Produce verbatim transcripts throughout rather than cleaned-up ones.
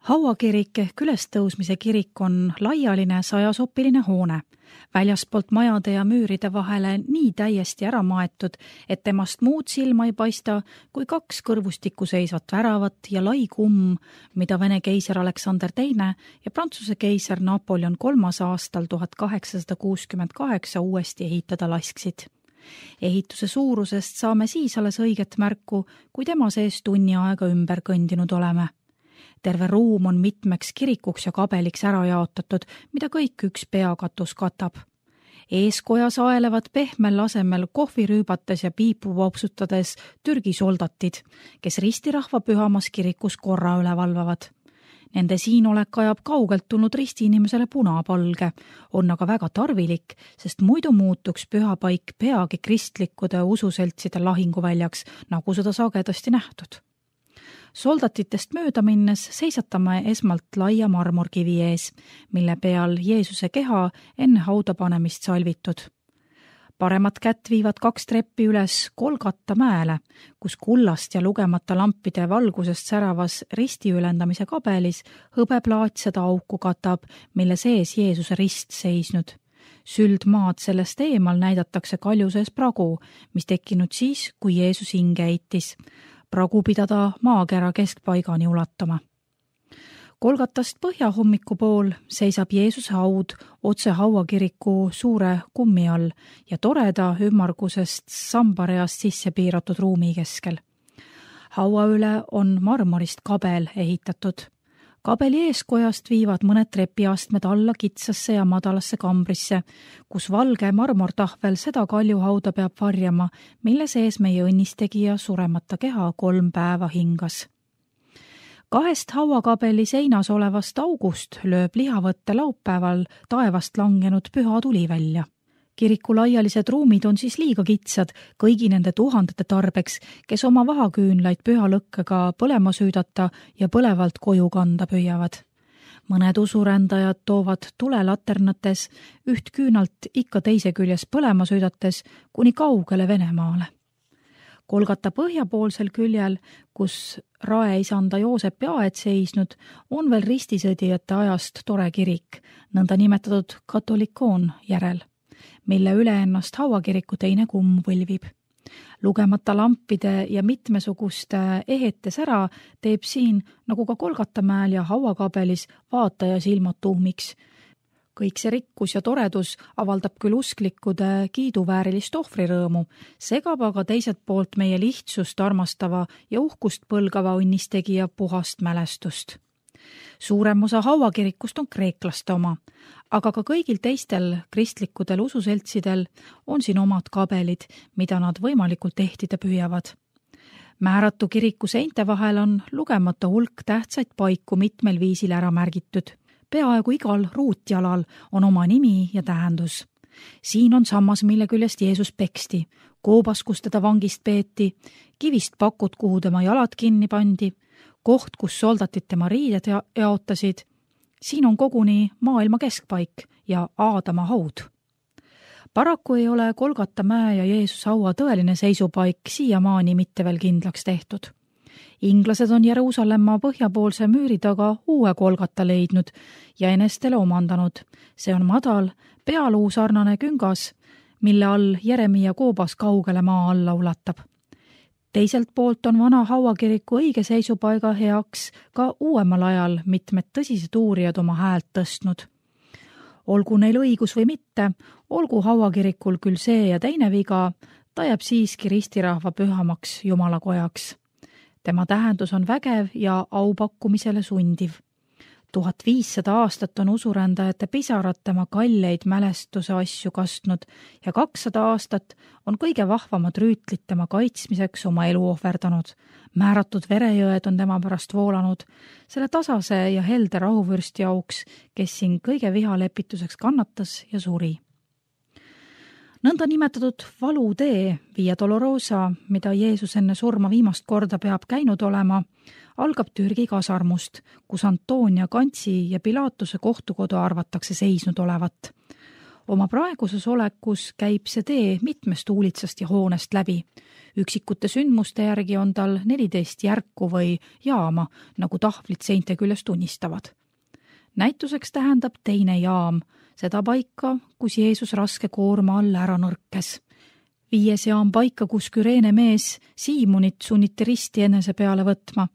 Hauakirik ehk ülestõusmise kirik on laialine sajasopiline hoone, väljaspoolt majade ja müüride vahele nii täiesti ära maetud, et temast muud silma ei paista kui kaks kõrvustikku seisvat väravat ja lai kumm, mida Vene keiser Aleksander teine ja Prantsuse keiser Napoleon kolmas aastal tuhat kaheksasada kuuskümmend kaheksa uuesti ehitada lasksid. Ehituse suurusest saame siis alles õiget märku, kui tema sees tunni aega ümber kõndinud oleme. Terve ruum on mitmeks kirikuks ja kabeliks ära jaotatud, mida kõik üks peakatus katab. Eeskojas aelevad pehmel asemel kohvi rüübates ja piipu vopsutades Türgi soldatid, kes ristirahva pühamas kirikus korra üle valvavad. Nende siinolek ajab kaugelt tulnud ristiinimesele punapalge, on aga väga tarvilik, sest muidu muutuks pühapaik peagi kristlikkude ususeltside lahinguväljaks, nagu seda sagedasti nähtud. Soldatitest mööda minnes seisatame esmalt laia marmorkivi ees, mille peal Jeesuse keha enne hauda panemist salvitud. Paremat kätt viivad kaks treppi üles Golgata mäele, kus kullast ja lugemata lampide valgusest säravas ristiülendamise kabelis hõbeplaat seda auku katab, mille sees Jeesuse rist seisnud. Süldmaad sellest eemal näidatakse kalju sees pragu, mis tekkinud siis, kui Jeesus hinge heitis. Pragu pidada maakera keskpaigani ulatama. Golgatast põhjahommiku pool seisab Jeesuse haud otse hauakiriku suure kummi all ja toreda ümmargusest sambareast sisse piiratud ruumi keskel. Haua üle on marmorist kabel ehitatud. Kabeli eeskojast viivad mõned trepiastmed alla kitsasse ja madalasse kambrisse, kus valge marmortahvel seda kaljuhauda peab varjama, mille sees meie õnnistegija suremata keha kolm päeva hingas. Kahest hauakabeli seinas olevast august lööb lihavõtte laupäeval taevast langenud püha tuli välja. Kiriku laialised ruumid on siis liiga kitsad kõigi nende tuhandete tarbeks, kes oma vahaküünlaid püha lõkkega põlema süüdata ja põlevalt koju kanda püüavad. Mõned usurändajad toovad tulelaternates üht küünalt ikka teise küljes põlema süüdates kuni kaugele Venemaale. Golgata põhjapoolsel küljel, kus raeisanda Joosepi aed seisnud, on veel ristisõdijate ajast tore kirik, nõnda nimetatud katolikoon järel, mille üle ennast hauakiriku teine kumm võlvib. Lugemata lampide ja mitmesuguste ehetes ära teeb siin, nagu ka Golgata mäel ja hauakabelis, vaataja silmad tuhmiks. Kõik see rikkus ja toredus avaldab küll usklikkude kiiduväärilist ohvrirõõmu, segab aga teiselt poolt meie lihtsust armastava ja uhkust põlgava õnnistegija puhast mälestust. Suurem osa hauakirikust on kreeklaste oma, aga ka kõigil teistel kristlikudel ususeltsidel on siin omad kabelid, mida nad võimalikult ehtida püüavad. Määratu kiriku seinte vahel on lugemata hulk tähtsaid paiku mitmel viisil ära märgitud. Peaaegu igal ruutjalal on oma nimi ja tähendus. Siin on sammas, mille küljest Jeesus peksti, koobas, kus teda vangist peeti, kivist pakud, kuhu tema jalad kinni pandi, koht, kus soldatid tema riided jaotasid. Siin on koguni maailma keskpaik ja Aadama haud. Paraku ei ole Golgata mäe ja Jeesuse haua tõeline seisupaik siiamaani mitte veel kindlaks tehtud. Inglased on Jeruusalemma põhjapoolse müüri taga uue Golgata leidnud ja enestele omandanud. See on madal, pealuu sarnane küngas, mille all Jeremia koobas kaugele maa alla ulatab. Teiselt poolt on vana hauakiriku õige seisupaiga heaks ka uuemal ajal mitmed tõsised uurijad oma häält tõstnud. Olgu neil õigus või mitte, olgu hauakirikul küll see ja teine viga, ta jääb siiski ristirahva pühamaks jumalakojaks. Tema tähendus on vägev ja aupakkumisele sundiv. tuhat viissada aastat on usurändajate pisarad tema kalleid mälestuse asju kastnud ja kakssada aastat on kõige vahvamad rüütlid tema kaitsmiseks oma elu ohverdanud. Määratud verejõed on tema pärast voolanud, selle tasase ja helde rahuvürsti auks, kes siin kõige vihalepituseks kannatas ja suri. Nõnda nimetatud valutee Via Dolorosa, mida Jeesus enne surma viimast korda peab käinud olema, algab Türgi kasarmust, kus Antonia Kantsi ja Pilatuse kohtukodu arvatakse seisnud olevat. Oma praeguses olekus käib see tee mitmest uulitsast ja hoonest läbi. Üksikute sündmuste järgi on tal neliteist järku või jaama, nagu tahvlid seinte küljes tunnistavad. Näituseks tähendab teine jaam, seda paika, kus Jeesus raske koorma all ära nõrkes. Viies jaam paika, kus Küreene mees Siimonit sunniti risti enese peale võtma.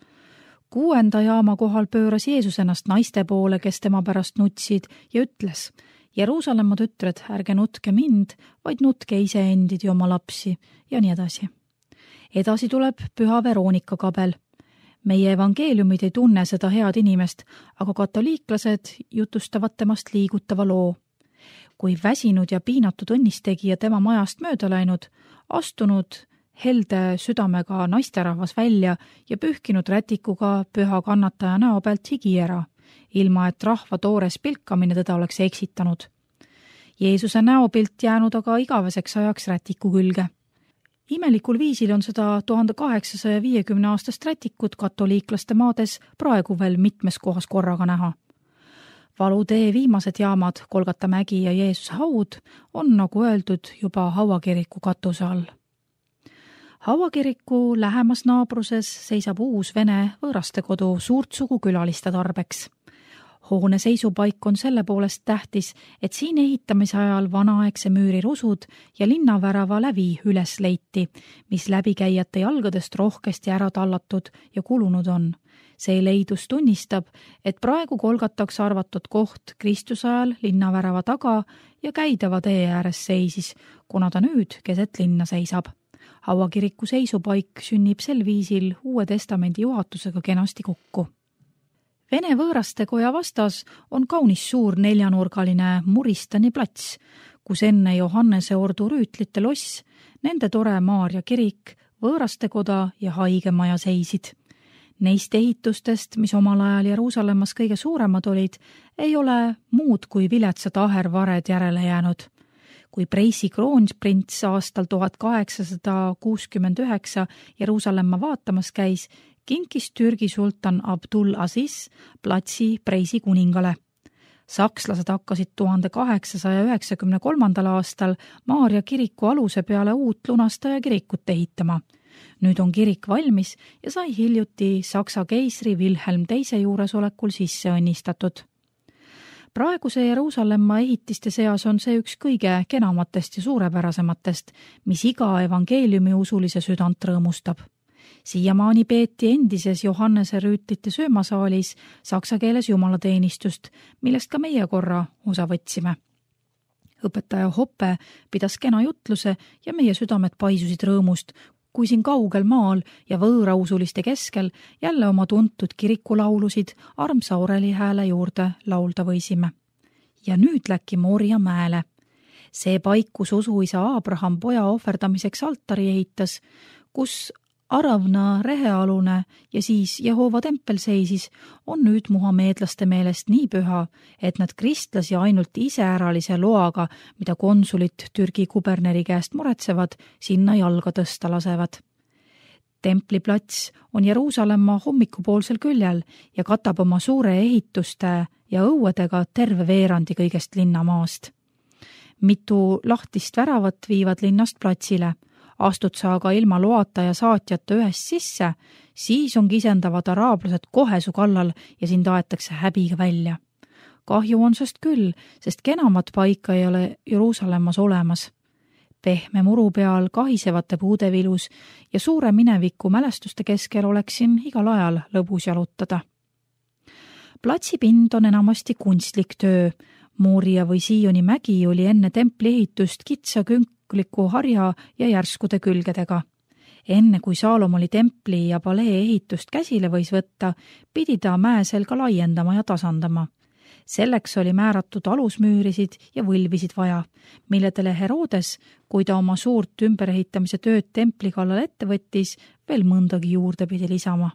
Kuuenda jaama kohal pööras Jeesus ennast naiste poole, kes tema pärast nutsid ja ütles: Jeruusalemma tütred, ärge nutke mind, vaid nutke iseendid ja oma lapsi ja nii edasi. Edasi tuleb püha Veronika kabel. Meie evangeeliumid ei tunne seda head inimest, aga katoliiklased jutustavad temast liigutava loo. Kui väsinud ja piinatud õnnistegija tema majast mööda läinud, astunud helde südamega naisterahvas välja ja pühkinud rätikuga püha kannataja näo pealt higi ära, ilma et rahva toores pilkamine teda oleks eksitanud. Jeesuse näopilt jäänud aga igaveseks ajaks rätiku külge. Imelikul viisil on seda tuhande kaheksasaja viiekümne aastast rätikut katoliiklaste maades praegu veel mitmes kohas korraga näha. Valutee viimased jaamad, Kolgata mägi ja Jeesuse haud, on, nagu öeldud, juba hauakiriku katuse all. Hauakiriku lähemas naabruses seisab uus vene võõrastekodu suurt sugu külaliste tarbeks. Hoone seisupaik on selle poolest tähtis, et siin ehitamise ajal vanaaegse müüri rusud ja linnavärava lävi üles leiti, mis läbikäijate jalgadest rohkesti ära tallatud ja kulunud on. See leidus tunnistab, et praegu Kolgataks arvatud koht Kristuse ajal linnavärava taga ja käidava tee ääres seisis, kuna ta nüüd keset linna seisab. Hauakiriku seisupaik sünnib sel viisil Uue Testamendi juhatusega kenasti kokku. Vene võõrastekoja vastas on kaunis suur neljanurgaline Muristani plats, kus enne Johannese ordu rüütlite loss, nende tore Maarja kirik, võõrastekoda ja haigemaja seisid. Neist ehitustest, mis omal ajal Jeruusalemmas kõige suuremad olid, ei ole muud kui viletsad ahervared järele jäänud. Kui Preisi kroonprints aastal tuhat kaheksasada kuuskümmend üheksa Jeruusalemma vaatamas käis, kinkis Türgi sultan Abdul Aziz platsi Preisi kuningale. Sakslased hakkasid tuhande kaheksasaja üheksakümne kolmandal aastal Maarja kiriku aluse peale uut lunastaja kirikut ehitama. Nüüd on kirik valmis ja sai hiljuti Saksa keisri Wilhelm teise juuresolekul sisse õnnistatud. Praeguse Jeruusalemma ehitiste seas on see üks kõige kenamatest ja suurepärasematest, mis iga evangeeliumi usulise südant rõõmustab. Siiamaani peeti endises Johannese rüütlite söömasaalis saksa keeles jumalateenistust, millest ka meie korra osa võtsime. Õpetaja Hoppe pidas kena jutluse ja meie südamed paisusid rõõmust, kui siin kaugel maal ja võõrausuliste keskel jälle oma tuntud kirikulaulusid armsa oreli hääle juurde laulda võisime. Ja nüüd läki Moria mäele. See paik, kus usuisa Abraham poja ohverdamiseks altari ehitas, kus Aravna rehealune ja siis Jehova tempel seisis, on nüüd muhameedlaste meelest nii püha, et nad kristlasi ainult iseäralise loaga, mida konsulit Türgi kuberneri käest muretsevad, sinna jalga tõsta lasevad. Templiplats on Jeruusalemma hommikupoolsel küljel ja katab oma suure ehituste ja õuedega terve veerandi kõigest linnamaast. Mitu lahtist väravat viivad linnast platsile. Astud sa aga ilma loata ja saatjata ühest sisse, siis on kisendavad araablased kohe su kallal ja sind aetakse häbiga välja. Kahju on sest küll, sest kenamat paika ei ole Jeruusalemmas olemas. Pehme muru peal kahisevate puude vilus ja suure mineviku mälestuste keskel oleks siin igal ajal lõbus jalutada. Platsipind on enamasti kunstlik töö. Mooria või Sioni mägi oli enne templi ehitust kitsa künk harja ja järskude külgedega. Enne kui Saalomoni templi ja palee ehitust käsile võis võtta, pidi ta mäe selga laiendama ja tasandama. Selleks oli määratud alusmüürisid ja võlvisid vaja, milledele Herodes, kui ta oma suurt ümberehitamise tööd templi kallal ette võttis, veel mõndagi juurde pidi lisama.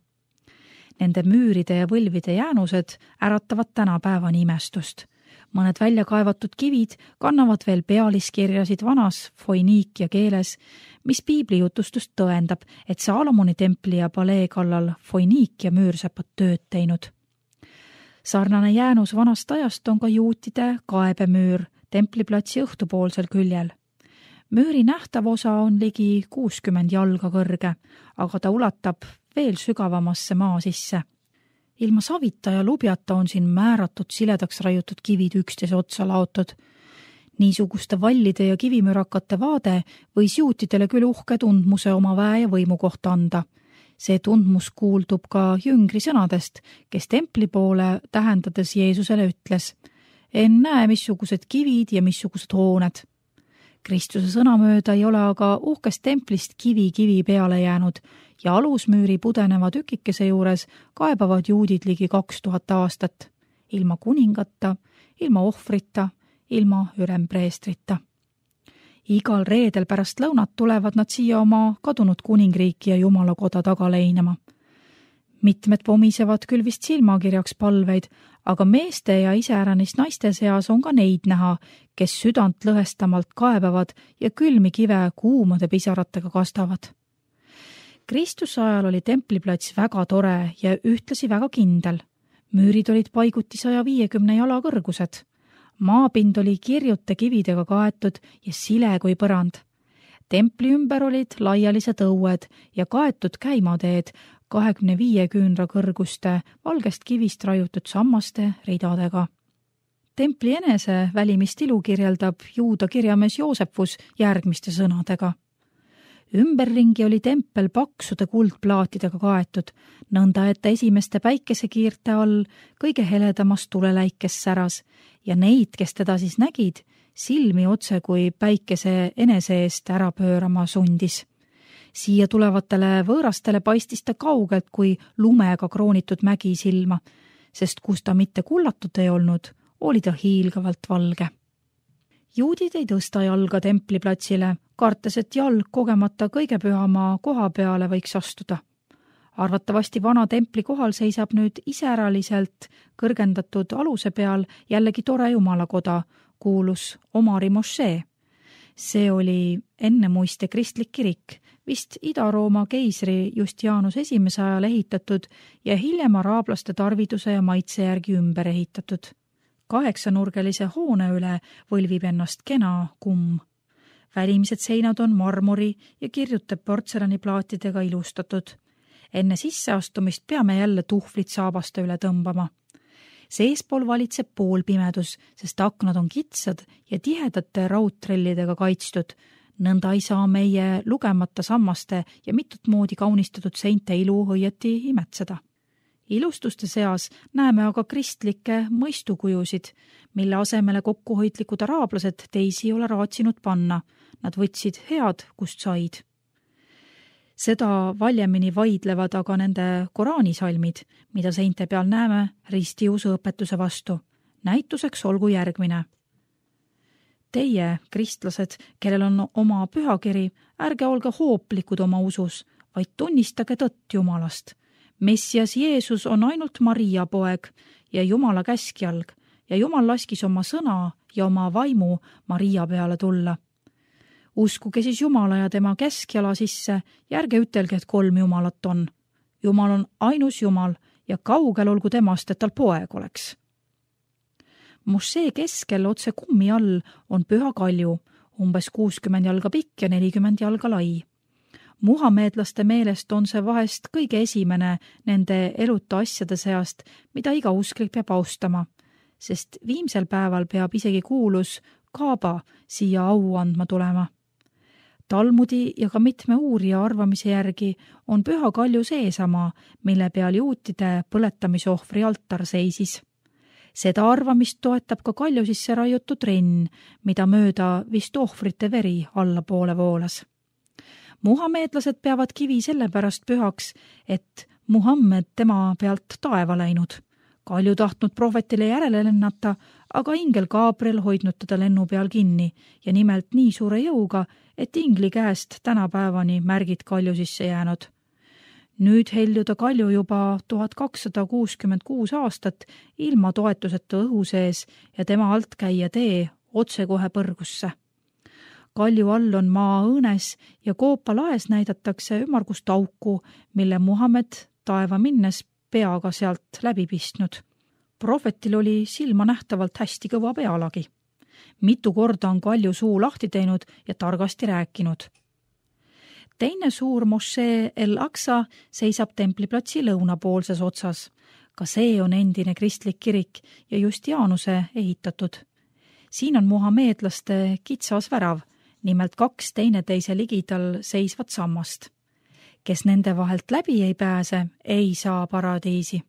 Nende müüride ja võlvide jäänused äratavad tänapäevani imestust. Mõned välja kaevatud kivid kannavad veel pealiskirjasid vanas foiniikia keeles, mis piibli jutustust tõendab, et Saalomoni templi ja palee kallal foiniikia müürsepat tööd teinud. Sarnane jäänus vanast ajast on ka juutide kaebemüür templiplatsi õhtupoolsel küljel. Müüri nähtav osa on ligi kuuskümmend jalga kõrge, aga ta ulatab veel sügavamasse maa sisse. Ilma savita ja lubjata on siin määratud siledaks raiutud kivid üksteise otsa laotud. Niisuguste vallide ja kivimürakate vaade võis juutidele küll uhke tundmuse oma väe ja võimu kohta anda. See tundmus kuuldub ka jüngri sõnadest, kes templi poole tähendades Jeesusele ütles: en näe, missugused kivid ja missugused hooned. Kristuse sõnamööda ei ole aga uhkest templist kivi kivi peale jäänud ja alusmüüri pudeneva tükikese juures kaebavad juudid ligi kaks tuhat aastat. Ilma kuningata, ilma ohvrita, ilma ülempreestrita. Igal reedel pärast lõunat tulevad nad siia oma kadunud kuningriiki ja jumalakoda taga leinama. Mitmed pomisevad küll vist silmakirjaks palveid, aga meeste ja iseäranis naiste seas on ka neid näha, kes südant lõhestamalt kaebavad ja külmi kive kuumade pisaratega kastavad. Kristuse ajal oli templiplats väga tore ja ühtlasi väga kindel. Müürid olid paiguti saja viiekümne jala kõrgused. Maapind oli kirjute kividega kaetud ja sile kui põrand. Templi ümber olid laialised õued ja kaetud käimateed kahekümne viie küünra kõrguste valgest kivist raiutud sammaste ridadega. Templi enese välimist ilu kirjeldab juuda kirjamees Joosepus järgmiste sõnadega. Ümberringi oli tempel paksude kuldplaatidega kaetud, nõnda et esimeste päikesekiirte all kõige heledamas tuleläikes säras ja neid, kes teda siis nägid, silmi otse kui päikese enese eest ära pöörama sundis. Siia tulevatele võõrastele paistis ta kaugelt kui lumega kroonitud mägi silma, sest kus ta mitte kullatud ei olnud, oli ta hiilgavalt valge. Juudid ei tõsta jalga templiplatsile, kartes, et jalg kogemata kõige pühama koha peale võiks astuda. Arvatavasti vana templi kohal seisab nüüd iseäraliselt kõrgendatud aluse peal jällegi tore jumalakoda, kuulus Omari mošee. See oli ennemuiste kristlik kirik, vist Ida-Rooma keisri Justianus esimese ajal ehitatud ja hiljem araablaste tarviduse ja maitse järgi ümber ehitatud. Kaheksanurgelise hoone üle võlvib ennast kena kumm. Välimised seinad on marmori ja kirjute portselaniplaatidega ilustatud. Enne sisseastumist peame jälle tuhvlid saabaste üle tõmbama. Seespool valitseb poolpimedus, sest aknad on kitsad ja tihedate raudtrellidega kaitstud. Nõnda ei saa meie lugemata sammaste ja mitut moodi kaunistatud seinte ilu õieti imetseda. Ilustuste seas näeme aga kristlikke mõistukujusid, mille asemele kokkuhoidlikud araablased teisi ei ole raatsinud panna. Nad võtsid head, kust said. Seda valjemini vaidlevad aga nende koraanisalmid, mida seinte peal näeme ristiusu õpetuse vastu. Näituseks olgu järgmine. Teie, kristlased, kellel on oma pühakiri, ärge olge hooplikud oma usus, vaid tunnistage tõtt Jumalast. Messias Jeesus on ainult Maria poeg ja Jumala käskjalg ja Jumal laskis oma sõna ja oma vaimu Maria peale tulla. Uskuge siis Jumala ja tema käskjala sisse ja ärge ütelge, et kolm Jumalat on. Jumal on ainus Jumal ja kaugel olgu temast, et tal poeg oleks. Mošee keskel otse kummi all on püha kalju, umbes kuuskümmend jalga pikk ja nelikümmend jalga lai. Muhameedlaste meelest on see vahest kõige esimene nende eluta asjade seast, mida iga usklik peab austama, sest viimsel päeval peab isegi kuulus Kaaba siia au andma tulema. Talmudi ja ka mitme uurija arvamise järgi on püha kalju seesama, mille peal juutide põletamisohvri altar seisis. Seda arvamist toetab ka kalju sisse raiutud renn, mida mööda vist ohvrite veri allapoole voolas. Muhameedlased peavad kivi sellepärast pühaks, et Muhammed tema pealt taeva läinud. Kalju tahtnud prohvetile järele lennata, aga ingel Gabriel hoidnud teda lennu peal kinni ja nimelt nii suure jõuga, et ingli käest tänapäevani märgid kalju sisse jäänud. Nüüd heljuda kalju juba tuhat kakssada kuuskümmend kuus aastat ilma toetuseta õhu sees ja tema alt käia tee otse kohe põrgusse. Kalju all on maa õõnes ja Koopa laes näidatakse ümmargust auku, mille Muhammed taeva minnes peaga sealt läbi pistnud. Prohvetil oli silma nähtavalt hästi kõva pealagi. mitu korda on Kalju suu lahti teinud ja targasti rääkinud. Teine suur mošee El Aqsa seisab templiplatsi lõunapoolses otsas. Ka see on endine kristlik kirik ja just Jaanuse ehitatud. Siin on muhameedlaste kitsas värav, nimelt kaks teineteise ligidal seisvat sammast. Kes nende vahelt läbi ei pääse, ei saa paradiisi.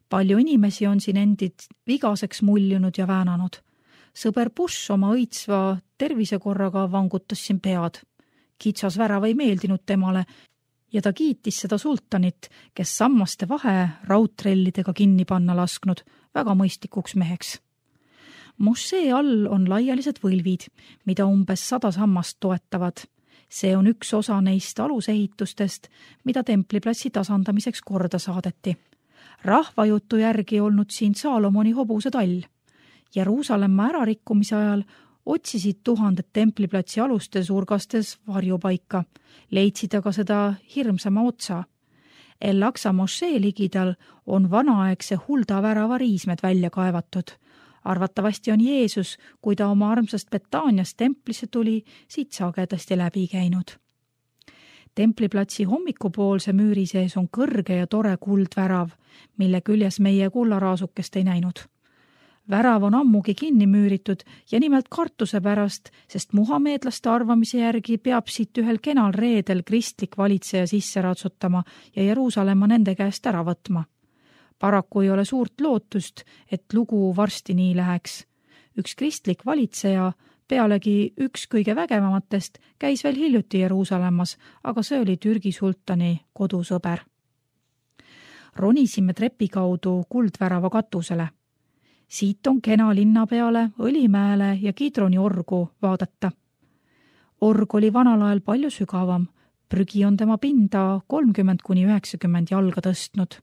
Palju inimesi on siin endid vigaseks muljunud ja väänanud. Sõber Bush oma õitsva tervisekorraga vangutas siin pead. Kitsas värav ei meeldinud temale ja ta kiitis seda sultanit, kes sammaste vahe raudtrellidega kinni panna lasknud, väga mõistlikuks meheks. Mošee all on laialised võlvid, mida umbes sada sammast toetavad. See on üks osa neist alusehitustest, mida templiplatsi tasandamiseks korda saadeti. Rahvajutu järgi olnud siin Saalomoni hobuse tall. Jeruusalemma ärarikkumise ajal otsisid tuhanded templiplatsi alustes urgastes varjupaika, leidsid aga seda hirmsama otsa. El Aqsa mošee ligidal on vanaaegse Hulda värava riismed välja kaevatud. Arvatavasti on Jeesus, kui ta oma armsast Betaaniast templisse tuli, siit sagedasti läbi käinud. Templiplatsi hommikupoolse müüri sees on kõrge ja tore kuldvärav, mille küljes meie kullaraasukest ei näinud. Värav on ammugi kinni müüritud ja nimelt kartuse pärast, sest muhameedlaste arvamise järgi peab siit ühel kenal reedel kristlik valitseja sisse ratsutama ja Jeruusalemma nende käest ära võtma. Paraku ei ole suurt lootust, et lugu varsti nii läheks. Üks kristlik valitseja, pealegi üks kõige vägevamatest, käis veel hiljuti Jeruusalemmas, aga see oli Türgi sultani kodusõber. Ronisime trepi kaudu kuldvärava katusele. Siit on kena linna peale, Õlimäele ja Kidroni orgu vaadata. Org oli vanal ajal palju sügavam, prügi on tema pinda kolmkümmend kuni üheksakümmend jalga tõstnud.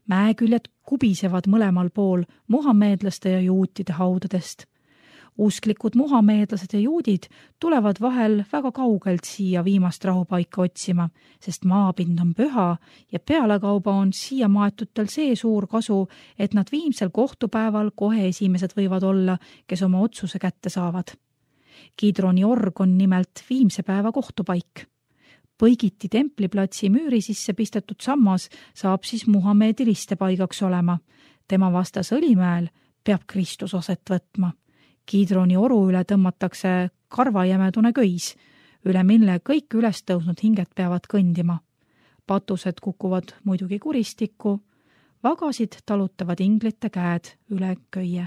Mäeküljed kubisevad mõlemal pool muhameedlaste ja juutide haudadest. Usklikud muhameedlased ja juudid tulevad vahel väga kaugelt siia viimast rahupaika otsima, sest maapind on püha ja pealekauba on siia maetutel see suur kasu, et nad viimsel kohtupäeval kohe esimesed võivad olla, kes oma otsuse kätte saavad. Kidroni org on nimelt viimse päeva kohtupaik. Põigiti templiplatsi müüri sisse pistetud sammas saab siis Muhamedi ristepaigaks olema. Tema vastas Õlimäel peab Kristus aset võtma. Kidroni oru üle tõmmatakse karvajämedune köis, üle mille kõik üles tõusnud hinged peavad kõndima. Patused kukuvad muidugi kuristikku, vagasid talutavad inglite käed üle köie.